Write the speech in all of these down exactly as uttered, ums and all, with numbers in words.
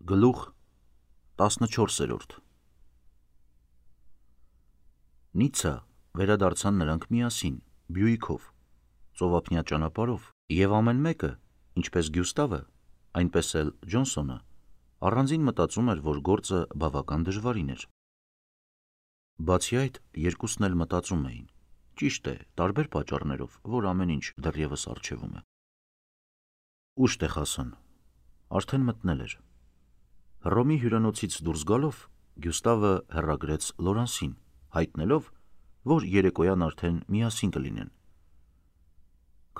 Գլուխ տասնչորսերորդ Նիցցա վերադարձան նրանք միասին, Բյուիկով, ծովափնյա ճանապարհով, և ամեն մեկը, ինչպես Գյուստավը, այնպես էլ Ջոնսոնը, առանձին մտածում էր, որ գործը բավական դժվարին էր։ Բացի այդ, երկուսն էլ մտածում էին, ճիշտ է, տարբեր պատճառներով, որ ամեն ինչ դեռևս առջևում է։ Ուշ Տեխասան, արդեն մտնել էր։ Հռոմի հյուրանոցից դուրս գալով, Գյուստավը հեռագրեց Լորանսին, հայտնելով, որ երեկոյան արդեն միասին կլինեն։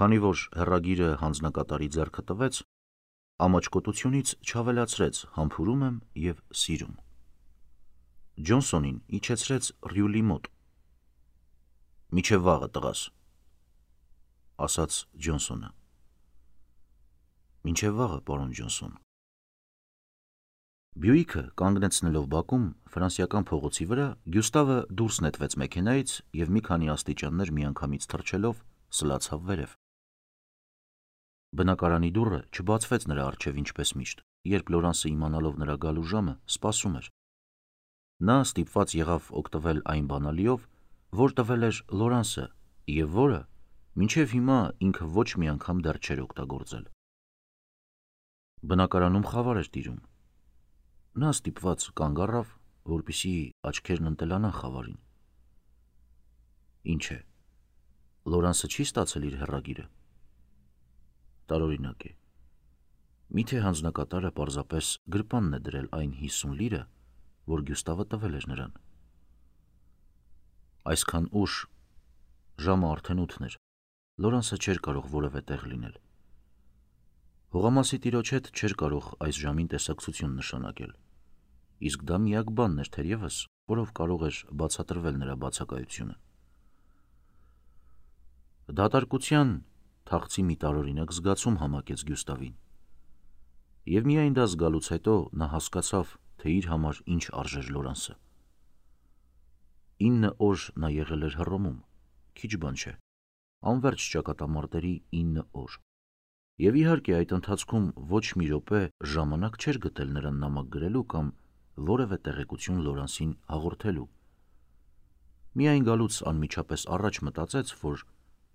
Քանի որ հեռագիրը հանձնակատարի ձեռքը տվեց, ամաչկոտությունից չավելացրեց համբուրում եմ և սիրում։ Ջոնսոնին իջեցրեց Ռյուլի մոտ։ «Մինչև վաղը, տղաս», ասաց Ջոնսոնը։ «Մինչև վաղը, պարոն Ջոնսոն»։ Բյուիկը կանգնեցնելով բակում ֆրանսիական փողոցի վրա, Գյուստավը դուրս նետվեց մեքենայից և մի քանի աստիճաններ միանգամից թռչելով սլացավ վերև։ Բնակարանի դուռը չբացվեց նրա առջև ինչպես միշտ, երբ Լորանսը իմանալով նրա գալու ժամը, սպասում էր։ Նա ստիպված եղավ օգտվել այն բանալիով, որ տվել էր Լորանսը և որը մինչև հիմա ինքը ոչ մի անգամ դեռ չէր օգտագործել։ Բնակարանում խավար էր տիրում։ Նա ստիպված կանգ առավ, որպեսզի աչքերն ընտելանան խավարին։ Ինչ է, Լորանսը չի ստացել իր հեռագիրը։ Տարօրինակ է։ Միթե հանձնակատարը պարզապես գրպանն է դրել այն հիսուն լիրը, որ Գյուստավը տվել էր նրան։ Այսքան ուշ, ժամը արդեն ութն էր, Լորանսը չէր կարող որևէ տեղ լինել։ Հողամասի տիրոջ հետ չէր կարող այս ժամին տեսակցություն նշանակել, իսկ դա միակ բանն էր թերևս, որով կարող էր բացատրվել նրա բացակայությունը։ Դատարկության թախծի մի տարօրինակ զգացում համակեց Գյուստավին, և միայն դա զգալուց հետո նա հասկացավ, թե իր համար ինչ արժեր Լորանսը։ Ինը օր նա եղել էր Հռոմում, քիչ բան չէ, անվերջ ճակատամարտերի ինը օր, և իհարկե այդ ընթացքում ոչ մի րոպե ժամանակ չէր գտել նրան նամակ գրելու կամ որևէ տեղեկություն Լորանսին հաղորդելու։ Միայն գալուց անմիջապես առաջ մտածեց, որ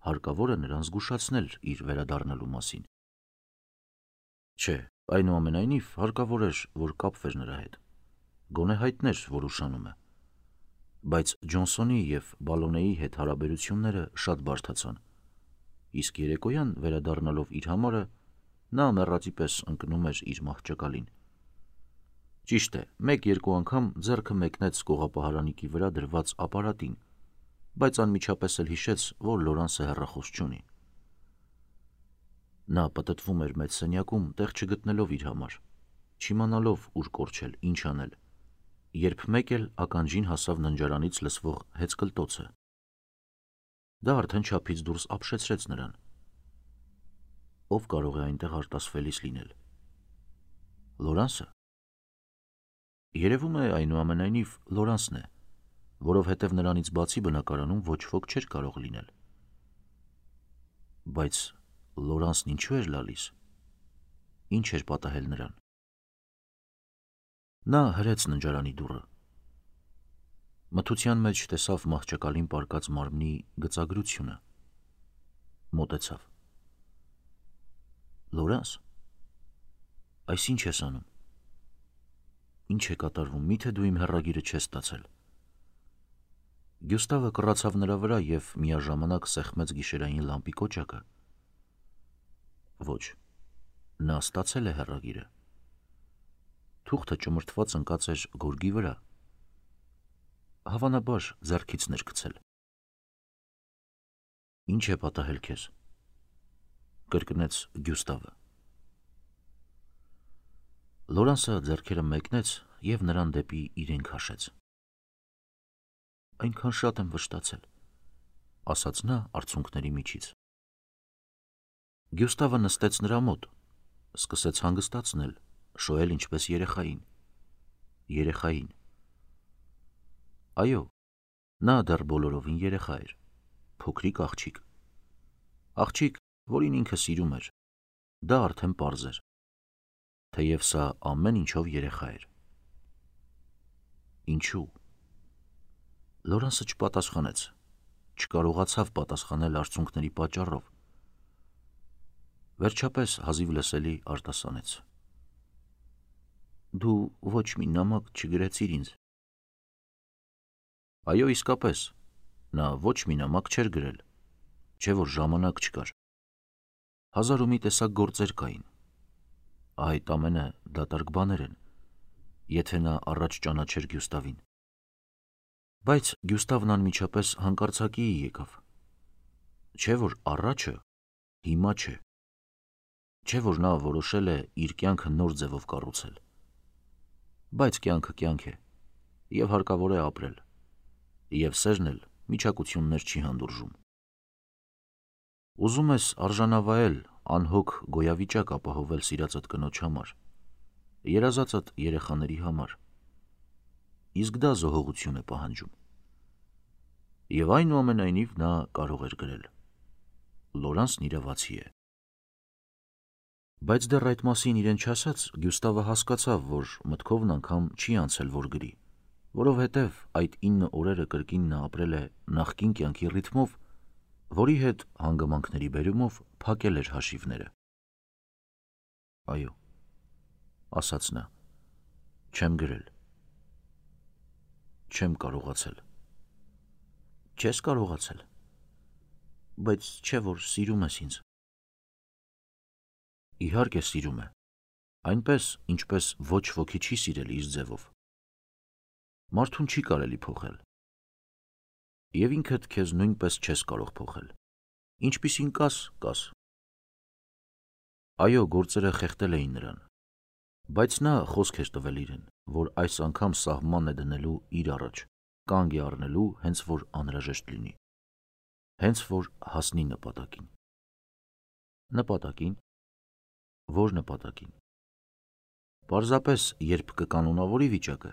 հարկավոր է նրան զգուշացնել իր վերադառնալու մասին։ Չէ, այնուամենայնիվ հարկավոր էր, որ կապվեր նրա հետ, գոնե հայտներ, որ ուշանում է։ Բայց Ջոնսոնի և Բալոնեի հետ հարաբերությունները շատ բարդացան, իսկ երեկոյան վերադառնալով իր համարը, նա մեռածի պես ընկնում էր իր մահճակալին։ Ճիշտ է, մեկ-երկու անգամ ձեռքը մեկնեց կողապահարանիկի վրա դրված ապարատին, բայց անմիջապես էլ հիշեց, որ Լորանսը հեռախոս չունի։ Նա պտտվում էր մեծ սենյակում, տեղ չգտնելով իր համար, չիմանալով ուր կորչել, ինչ անել, երբ մեկ էլ ականջին հասավ ննջարանից լսվող հեծկլտոցը։ Դա արդեն չափից դուրս ապշեցրեց նրան։ Ով կարող է այնտեղ արտասվելիս լինել։ Լորանսը։ Երևում է այնուամենայնիվ Լորանսն է, որովհետև նրանից բացի բնակարանում ոչ ոք չէր կարող լինել։ Բայց Լորանսն ինչու էր լալիս։ Ինչ էր պատահել նրան։ Նա հրեց ննջարանի դուռը։ Մթության մեջ տեսավ մահճակալին պառկած մարմնի գծագրությունը։ Մոտեցավ։ Լորանս, այս ինչ ես անում։ Ինչ է կատարվում, միթե դու իմ հեռագիրը չես ստացել։ Գյուստավը կռացավ նրա վրա և միաժամանակ սեղմեց գիշերային լամպի կոճակը։ Ոչ, նա ստացել է հեռագիրը։ Թուղթը ճմրթված ընկած էր գորգի վրա։ Հավանաբար ձեռքիցն էր գցել։ Ինչ է պատահել քեզ, կրկնեց Գյուստավը։ Լորանսը ձեռքերը մեկնեց և նրան դեպի իրեն քաշեց։ Այնքան շատ եմ վշտացել, ասաց նա արցունքների միջից։ Գյուստավը նստեց նրա մոտ, սկսեց հանգստացնել, շոյել ինչպես երեխային։ Երեխային։ Այո, նա դեռ բոլորովին երեխա էր, փոքրիկ աղջիկ։ Աղջիկ, որին ինքը սիրում էր, դա արդեն պարզ էր։ թեև սա ամեն ինչով երեխա էր։ Ինչու՞։ Լորանսը չպատասխանեց, չկարողացավ պատասխանել արցունքների պատճառով։ Վերջապես հազիվ լսելի արտասանեց. Դու ոչ մի նամակ չգրեցիր ինձ։ Այո, իսկապես, նա ոչ մի նամակ չէր գրել, չէ որ ժամանակ չկար։ Հազար ու մի տեսակ գործեր կային։ Այդ ամենը դատարկ բաներ են, եթե նա առաջ ճանաչեր Գյուստավին։ Բայց Գյուստավն անմիջապես հանկարծակիի եկավ։ Չէ որ առաջը հիմա չէ։ Չէ որ նա որոշել է իր կյանքը նոր ձևով կառուցել։ Բայց կյանքը կյանք է, և հարկավոր է ապրել, և սերն էլ միջակություններ չի հանդուրժում։ Ուզում ես արժանավայել, անհոգ գոյավիճակ ապահովել սիրածդ կնոջ համար, երազածդ երեխաների համար, իսկ դա զոհողություն է պահանջում։ Եվ այնուամենայնիվ նա կարող էր գրել. Լորանսն իրավացի է։ Բայց դեռ այդ մասին իրեն չասած, Գյուստավը հասկացավ, որ մտքովն անգամ չի անցել, որ գրի, որովհետև այդ ինը օրերը կրկին նա ապրել է նախկին կյանքի ռիթմով, որի հետ հանգամանքների բերումով փակել էր հաշիվները։ Այո, ասաց նա, չեմ գրել։ Չեմ կարողացել։ Չես կարողացել, բայց չէ որ սիրում ես ինձ։ Իհարկե սիրում է, այնպես, ինչպես ոչ ոքի չի սիրել իր ձևով։ Մարդուն չի կարելի փոխել։ Եվ ինքդ քեզ նույնպես չես կարող փոխել։ Ինչպիսին կաս, կաս։ Այո, գործերը խեղդել էին նրան, բայց նա խոսք էր տվել իրեն, որ այս անգամ սահման է դնելու իր առաջ, կանգ է առնելու, հենց որ անհրաժեշտ լինի, հենց որ հասնի նպատակին։ Նպատակին։ Որ նպատակին։ Պարզապես, երբ կկանոնավորի վիճակը,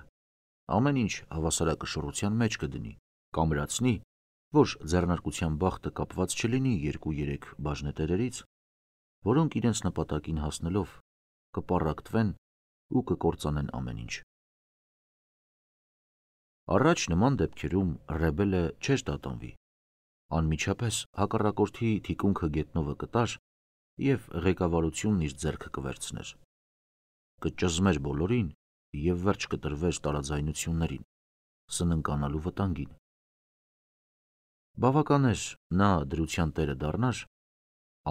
ամեն ինչ հավասարակշռության մեջ կդնի, կամրացնի, որ ձեռնարկության բախտը կապված չլինի երկու-երեք բաժնետերերից, որոնք իրենց նպատակին հասնելով կպառակտվեն ու կկործանեն ամեն ինչ։ Առաջ նման դեպքերում ռեբելը չէր տատանվի, անմիջապես հակառակորդի թիկունքը գետնովը կտար և ղեկավարությունն իր ձեռքը կվերցներ, կճզմեր բոլորին և վերջ կտրվեր տարաձայնություններին, սննկանալու վտանգին։ Բավական էր նա դրության տերը դառնար,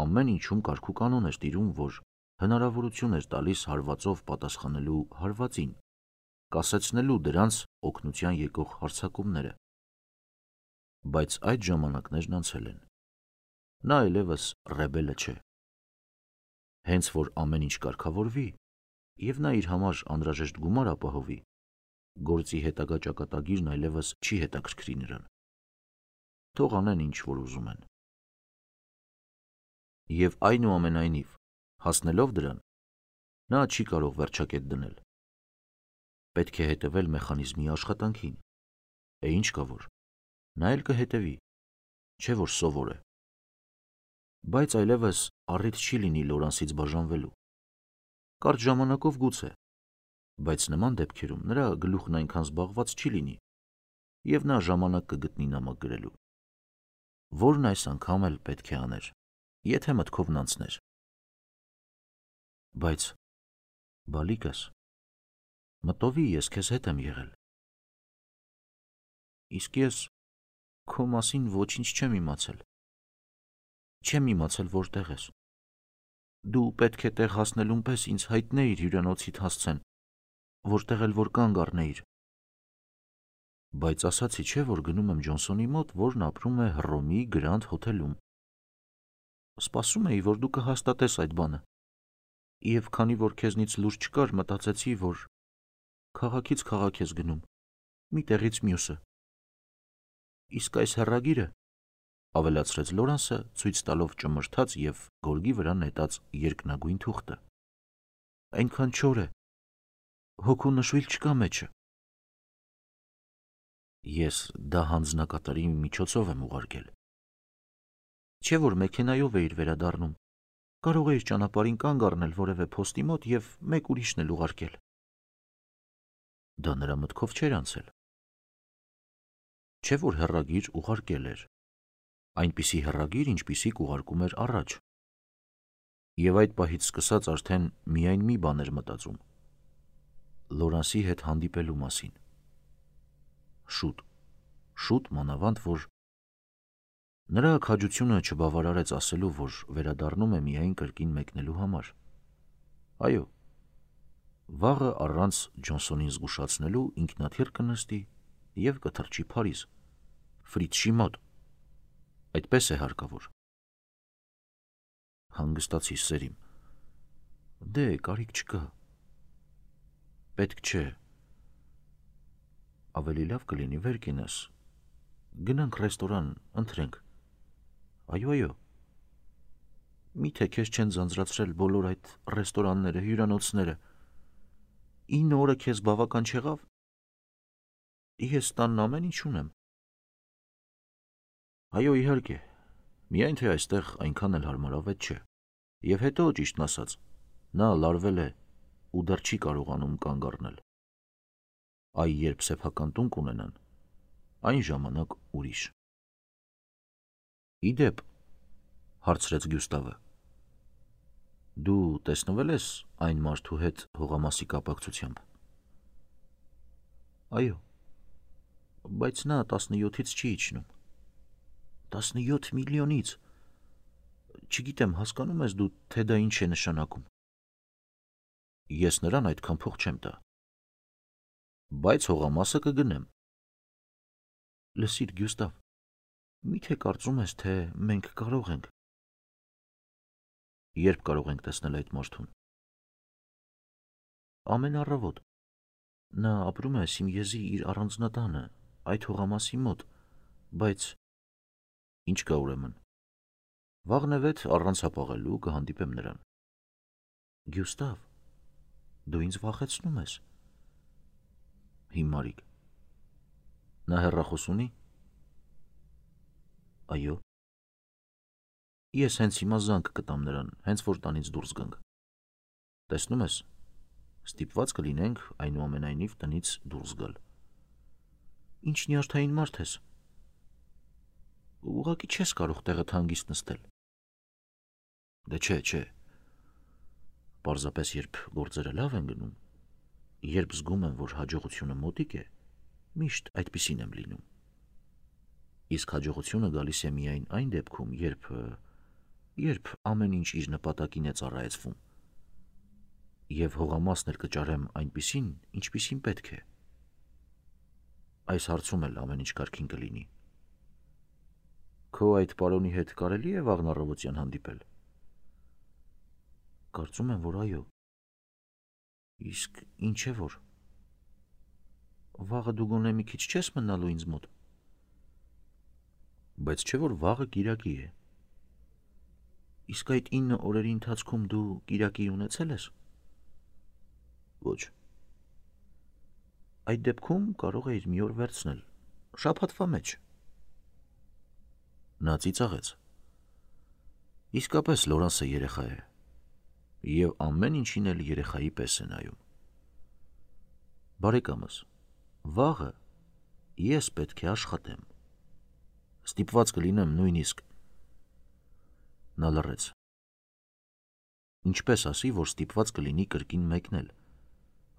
ամեն ինչում կարգ ու կանոն էր տիրում, որ հնարավորություն էր տալիս հարվածով պատասխանելու հարվածին, կասեցնելու դրանց օգնության եկող հարձակումները։ Բայց այդ ժամանակներն անցել են։ Նա այլևս ռեբելը չէ։ Հենց որ ամեն ինչ կարգավորվի, և նա իր համար անհրաժեշտ գումար ապահովի, գործի հետագա ճակատագիրն այլևս չի հետաքրքրի նրան։ Թող անեն ինչ որ ուզում են։ Եվ այնուամենայնիվ, հասնելով դրան, նա չի կարող վերջակետ դնել։ Պետք է հետևել մեխանիզմի աշխատանքին։ Է ինչ կա որ, նա էլ կհետևի, չէ որ սովոր է։ Բայց այլևս առիթ չի լինի Լորանսից բաժանվելու։ Կարճ ժամանակով գուցե, բայց նման դեպքերում նրա գլուխն այնքան զբաղված չի լինի, և նա ժամանակ կգտնի նամակ գրելու, որն այս անգամ էլ պետք է աներ, եթե մտքովն անցներ։ Բայց բալիկս, մտովի ես քեզ հետ եմ եղել։ Իսկ ես քո մասին ոչինչ չեմ իմացել։ Չեմ իմացել որտեղ ես։ Դու պետք է տեղ հասնելուն պես ինձ հայտնեիր հյուրանոցիդ հասցեն, որտեղ էլ որ կանգ առնեիր։ Բայց ասացի չէ, որ գնում եմ Ջոնսոնի մոտ, որն ապրում է Հռոմի Գրանդ հոթելում։ Սպասում էի, որ դու կհաստատես այդ բանը։ Եվ քանի որ քեզնից լուր չկար, մտածեցի, որ քաղաքից քաղաք ես գնում, մի տեղից մյուսը։ Իսկ այս հեռագիրը, ավելացրեց Լորանսը, ցույց տալով ճմրթաց և գորգի վրա նետած երկնագույն թուղթը, այնքան չոր է, հոգու նշույլ չկա մեջը։ Ես դա հանձնակատարի միջոցով եմ ուղարկել։ Չէ որ մեքենայով էիր վերադառնում, Կարող էիր ճանապարհին կանգ առնել որևէ փոստի մոտ եւ մեկ ուրիշն էլ ուղարկել։ Դա նրա մտքով չէր անցել։ Չէ՞ որ հեռագիր ուղարկել էր։ Այնպիսի հեռագիր, ինչպիսի կուղարկում էր առաջ։ Եվ այդ պահից սկսած արդեն միայն մի բան էր մտածում. Լորանսի հետ հանդիպելու մասին։ Շուտ, շուտ մանավանդ, որ նրա քաջությունը չբավարարեց ասելու, որ վերադառնում է միայն կրկին մեկնելու համար։ Այո, վաղը առանց Ջոնսոնին զգուշացնելու ինքնաթիռ կնստի եւ կթռչի Փարիզ, Ֆրիցշի մոտ։ Այդպես է հարկավոր։ Հանգստացի սերիմ։ Դե, կարիք չկա։ Պետք չէ։ Ավելի լավ կլինի վեր կենաս։ Գնանք ռեստորան, ընթրենք։ Այո, այո։ Միթե քեզ չեն ձանձրացրել բոլոր այդ ռեստորանները, հյուրանոցները։ ինը օրը քեզ բավական չեղավ։ Ես տանն ամեն ինչ ունեմ։ Այո, իհարկե։ Միայն թե այստեղ այնքան էլ հարմարավետ չէ։ Եվ հետո, ճիշտն ասած, նա լարվել է ու դեռ չի կարողանում կանգ առնել։ Այ երբ սեփական տուն կունենան, այն ժամանակ ուրիշ։ Իդեպ, հարցրեց Գյուստավը, դու տեսնվել ես այն մարդու հետ հողամասի կապակցությամբ։ Այո, բայց նա տասնյոթից չի իջնում։ Տասնյոթ միլիոնից։ Չգիտեմ, հասկանում ես դու, թե դա ինչ է նշանակում։ Ես նրան այդքան փող չեմ տա։ Բայց հողամասը կգնեմ։ Լսիր, Գյուստավ, միթե կարծում ես, թե մենք կարող ենք։ Երբ կարող ենք տեսնել այդ մարդուն։ Ամեն առավոտ։ Նա ապրում է Սիմյեզի իր առանձնատանը, այդ հողամասի մոտ, բայց ինչ կա ուրեմն։ Վաղնևեթ առանց հապաղելու կհանդիպեմ նրան։ Գյուստավ, դու ինձ վախեցնում ես։ Հիմարիկ։ Նա հեռախոս ունի։ Այո։ Ես հենց հիմա զանգ կտամ նրան, հենց որ տանից դուրս գանք։ Տեսնում ես, ստիպված կլինենք այնուամենայնիվ տնից դուրս գալ։ Ինչ նյարդային մարդ ես։ Ուղղակի չես կարող տեղդ հանգիստ նստել։ Դե չէ, չէ։ Պարզապես երբ գործերը լավ են գնում, երբ զգում եմ, որ հաջողությունը մոտիկ է, միշտ այդպիսին եմ լինում։ Իսկ հաջողությունը գալիս է միայն այն դեպքում, երբ երբ ամեն ինչ իր նպատակին է ծառայեցվում։ Եվ հողամասն էլ կճարեմ այնպիսին, ինչպիսին պետք է։ Այս հարցում էլ ամեն ինչ կարգին կլինի։ Քո այդ պարոնի հետ կարելի է վաղն առավոտյան հանդիպել։ Կարծում եմ, որ այո։ Իսկ ինչ է որ։ Վաղը դու գոնե մի քիչ չես մնալու ինձ մոտ։ Բայց չէ որ վաղը կիրակի է։ Իսկ այդ ինը օրերի ընթացքում դու կիրակի ունեցել ես։ Ոչ։ Այդ դեպքում կարող էիր մի օր վերցնել, շաբաթվա մեջ։ Նա ծիծաղեց։ Իսկապես Լորանսը երեխա է, և ամեն ինչին էլ երեխայի պես է նայում։ Բարեկամս, վաղը ես պետք է աշխատեմ։ Ստիպված կլինեմ նույնիսկ։ Նա լռեց։ Ինչպես ասի, որ ստիպված կլինի կրկին մեկնել,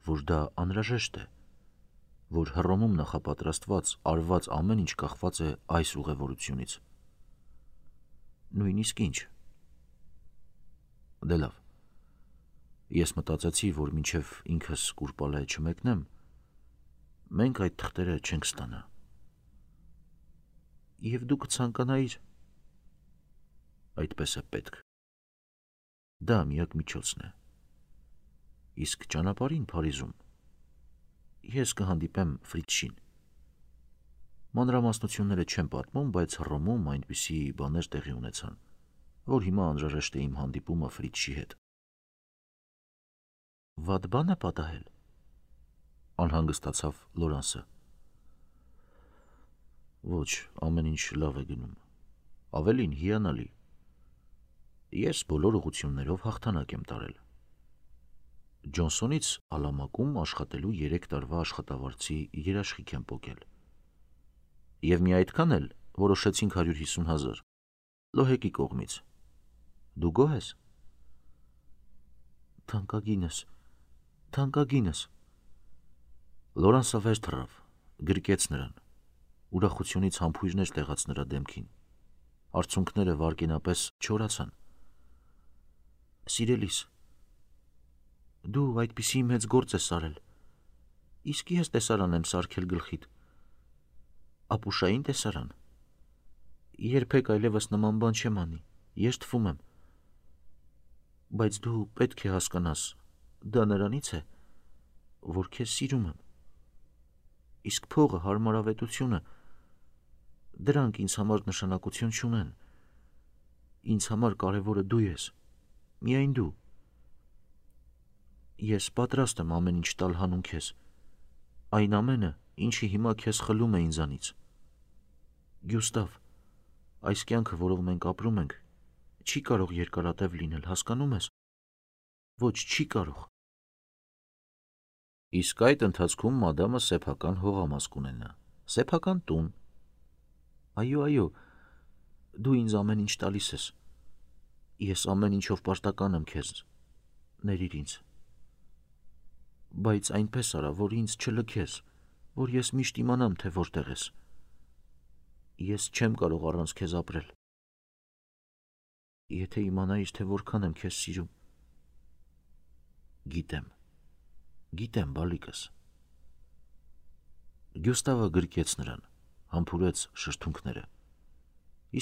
որ դա անհրաժեշտ է, որ Հռոմում նախապատրաստված, արված ամեն ինչ կախված է այս ուղևորությունից։ Նույնիսկ ինչ։ Դե լավ։ Ես մտածեցի, որ մինչև ինքս Կուրպալայ չմեկնեմ, մենք այդ թղթերը չենք ստանա։ Եվ դու կցանկանայիր։ Այդպես է պետք։ Դա միակ միջոցն է։ Իսկ ճանապարհին Փարիզում ես կհանդիպեմ Ֆրիցշին։ Մանրամասնությունները չեմ պատմում, բայց Հռոմում այնպիսի բաներ տեղի ունեցան, որ հիմա անհրաժեշտ է իմ հանդիպումը Ֆրիցշի հետ։ Վատ բան է պատահել։ Անհանգստացավ Լորանսը։ Ոչ, ամեն ինչ լավ է գնում։ Ավելին հիանալի։ Ես բոլոր ուղղություններով հաղթանակ եմ տարել։ Ջոնսոնից ալամակում աշխատելու երեք տարվա աշխատավարձի երաշխիք եմ պոկել։ Եվ մի այդքան էլ որոշեցինք հարյուր հիսուն հազար, Լոհեկի կողմից։ Դու գոհ ես։ Թանկագինս, թանկագինս։ Լորանսը վեր թռավ, գրկեց նրան։ Ուրախությունից համբույրներ տեղաց նրա դեմքին։ Արցունքները վարկենապես չորացան։ Սիրելիս, դու այդպիսի մեծ գործ ես արել։ Իսկ ես տեսարան եմ սարքել գլխիդ։ Ապուշային տեսարան։ Երբեք այլևս նման բան չեմ անի, ես թվում եմ։ Բայց դու պետք է հասկանաս, դա նրանից է, որ քեզ սիրում եմ։ Իսկ փողը, հարմարավետությունը, դրանք ինձ համար նշանակություն չունեն։ Ինձ համար կարևորը դու ես, միայն դու։ Ես պատրաստ եմ ամեն ինչ տալ հանուն քեզ, այն ամենը, ինչի հիմա քեզ խլում է ինձանից։ Գյուստավ, այս կյանքը, որով մենք ապրում ենք, չի կարող երկարատև լինել, հասկանում ես։ Ոչ, չի կարող։ Իսկ այդ ընթացքում մադամը սեփական հողամաս կունենա, սեփական տուն։ Այո, այո, դու ինձ ամեն ինչ տալիս ես։ Ես ամեն ինչով պարտական եմ քեզ, ներիր ինձ։ Բայց այնպես արա, որ ինձ չլքես, որ ես միշտ իմանամ, թե որտեղ ես։ Ես չեմ կարող առանց քեզ ապրել։ Եթե իմանայիր, թե որքան եմ քեզ սիրում։ Գիտեմ, գիտեմ, բալիկս։ Գյուստավը գրկեց նրան, համբուրեց շրթունքները։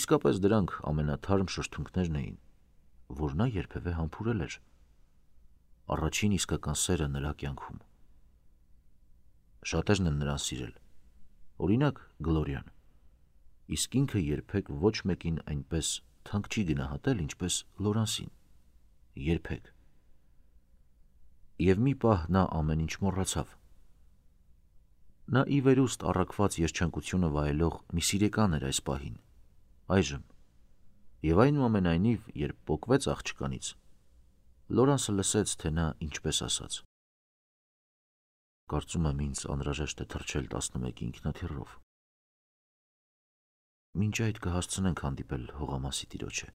Իսկապես դրանք ամենաթարմ շրթունքներն էին, որ նա երբևէ համբուրել էր։ Առաջին իսկական սերը նրա կյանքում։ Շատերն են նրան սիրել, օրինակ Գլորիան, իսկ ինքը երբեք ոչ մեկին այնպես թանկ չի գնահատել, ինչպես Լորանսին, երբեք։ Եվ մի պահ նա ամեն ինչ մոռացավ։ Նա ի վերուստ առաքված երջանկությունը վայելող մի սիրեկան էր այս պահին, այժմ, եւ այնուամենայնիվ, երբ պոկվեց աղջկանից, Լորանսը լսեց, թե նա ինչպես ասաց. Կարծում եմ ինձ անհրաժեշտ է թռչել տասնմեկի ինքնաթիռով։ Մինչ այդ կհասցնենք հանդիպել հողամասի տիրոջը։